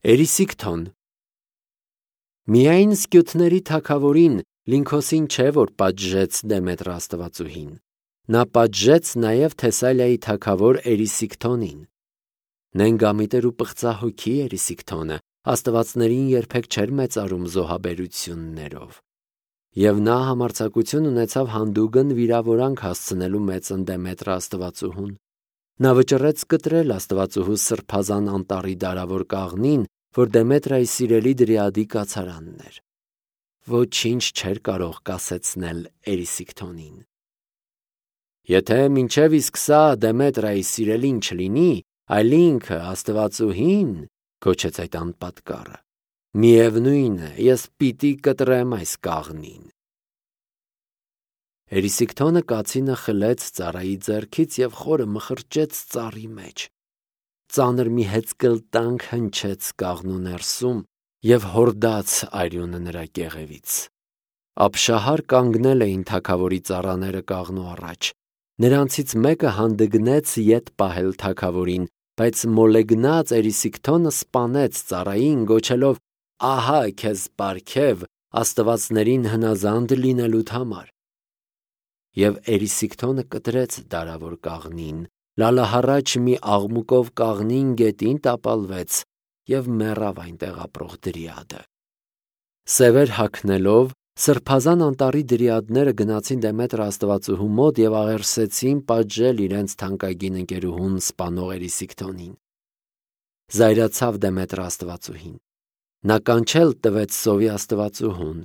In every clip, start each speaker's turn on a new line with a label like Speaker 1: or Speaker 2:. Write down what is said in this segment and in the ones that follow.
Speaker 1: Էրիսիկթոն։ Միայն սկյութների թագավորին Լինքոսին չէ, որ պատժեց Դեմետրը աստվածուհին, նա պատժեց նաև Թեսալիայի թագավոր Էրիսիկթոնին։ Նենգամիտեր ու պղծահոգի Էրիսիկթոնը աստվածներին երբեք չէր մեծարում զոհաբերություններով, և նա համարձակություն ունեցավ հանդուգն վիրավորանք հասցնելու մեծն Դեմետրը աստվածուհուն։ Նա վճռեց կտրել աստվածուհու սրբազան անտառի դարավոր կաղնին, որ Դեմետրայի սիրելի դրիադի կացարանն էր։ Ոչինչ չէր կարող կասեցնել Էրիսիկթոնին։ Եթե մինչև իսկ սա Դեմետրայի սիրելին չլինի, այլ ինքը աստվածուհին, գոչեց այդ անպատկառը, միևնույն է, ես պիտի կտրեմ այս կաղնին։ Էրիսիկթոնը կացինը խլեց ծառայի ձեռքից և խորը մխրճեց ծառի մեջ։ Ծանր մի հեծկլտանք հնչեց կաղնու ներսում և հորդաց արյունը նրա կեղևից։ Ապշահար կանգնել էին թագավորի ծառաները կաղնու առաջ։ Նրանցից մեկը հանդգնեց ետ պահել թագավորին, բայց մոլեգնած Էրիսիկթոնը սպանեց ծառային, գոչելով. «Ահա քեզ պարգև աստվածներին հնազանդ լինելուդ համար»։ Եվ Էրիսիկթոնը կտրեց դարավոր կաղնին, լալահառաչ մի աղմուկով կաղնին գետին տապալվեց և մեռավ այնտեղ ապրող դրիադը։ Սևեր հագնելով, սրբազան անտառի դրիադները գնացին Դեմետրը աստվածուհու մոտ և աղերսեցին պատժել իրենց թանկագին ընկերուհուն սպանող Էրիսիկթոնին։ Զայրացավ Դեմետրը աստվածուհին։ Նա կանչել տվեց սովի աստվածուհուն։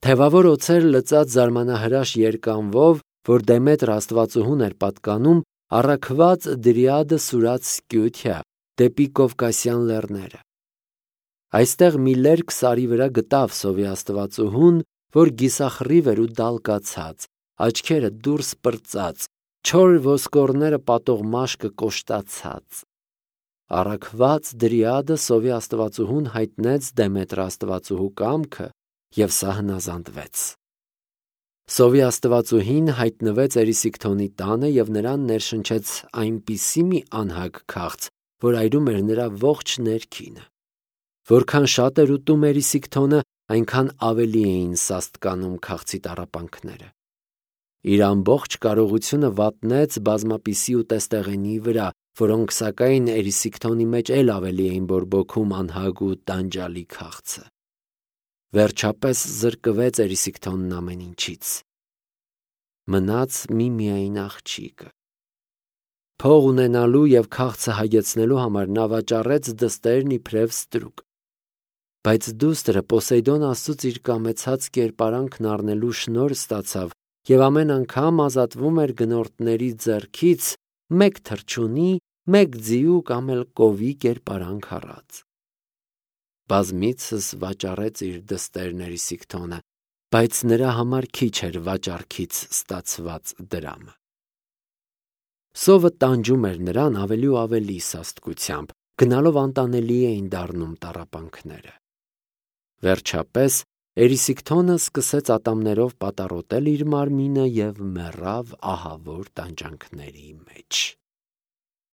Speaker 1: Թևավոր օձեր լծած զարմանահրաշ երկանվով, որ Դեմետրը աստվածուհուն էր պատկանում, առաքված դրիադը սուրաց Սկյութիա դեպի Կովկասյան լեռները։ Այստեղ մի լերկ սարի վրա գտավ սովի աստվածուհուն, որ գիսախռիվ էր ու դալկացած, աչքերը դուրս պրծած, չոր ոսկորները պատող մաշկը կոշտացած։ Առաքված դրիադը սովի աստվածուհուն հայտնեց Դեմետրը աստվածուհու կամքը, և սա հնազանդվեց։ Սովի աստվածուհին հայտնվեց Էրիսիկթոնի տանը և նրան ներշնչեց այնպիսի մի անհագ քաղց, որ այրում էր նրա ողջ ներքինը։ Որքան շատ էր ուտում Էրիսիկթոնը, այնքան ավելի էին սաստկանում քաղցի տառապանքները։ Իր ամբողջ կարողությունը վատնեց բազմապիսի ուտեստեղենի վրա, որոնք սակայն Էրիսիկթոնի մեջ էլ ավելի էին բորբոքում անհագ ու տանջալի քաղցը։ Վերջապես զրկվեց Էրիսիկթոնն ամեն ինչից։ Մնաց միմիայն աղջիկը։ Փող ունենալու և քաղցը հագեցնելու համար նա վաճառեց դստերն իբրև ստրուկ։ Բայց դուստրը Պոսեյդոն աստծուց իր կամեցած կերպարանքն առնելու շնորհ ստացավ և ամեն անգամ ազատվում էր գնորդների ձեռքից մեկ թռչունի, մեկ ձիու կամ էլ կովի կերպարանք առած։ Բազմիցս վաճառեց իր դստերն Էրիսիկթոնը, բայց նրա համար քիչ էր վաճառքից ստացված դրամը։ Սովը տանջում էր նրան ավելի ու ավելի սաստկությամբ, գնալով անտանելի էին դառնում տառապանքները։ Վերջապես Էրիսիկթոնը սկսեց ատամներով պատառոտել իր մարմինը և մեռավ ահավոր տանջանքների մեջ։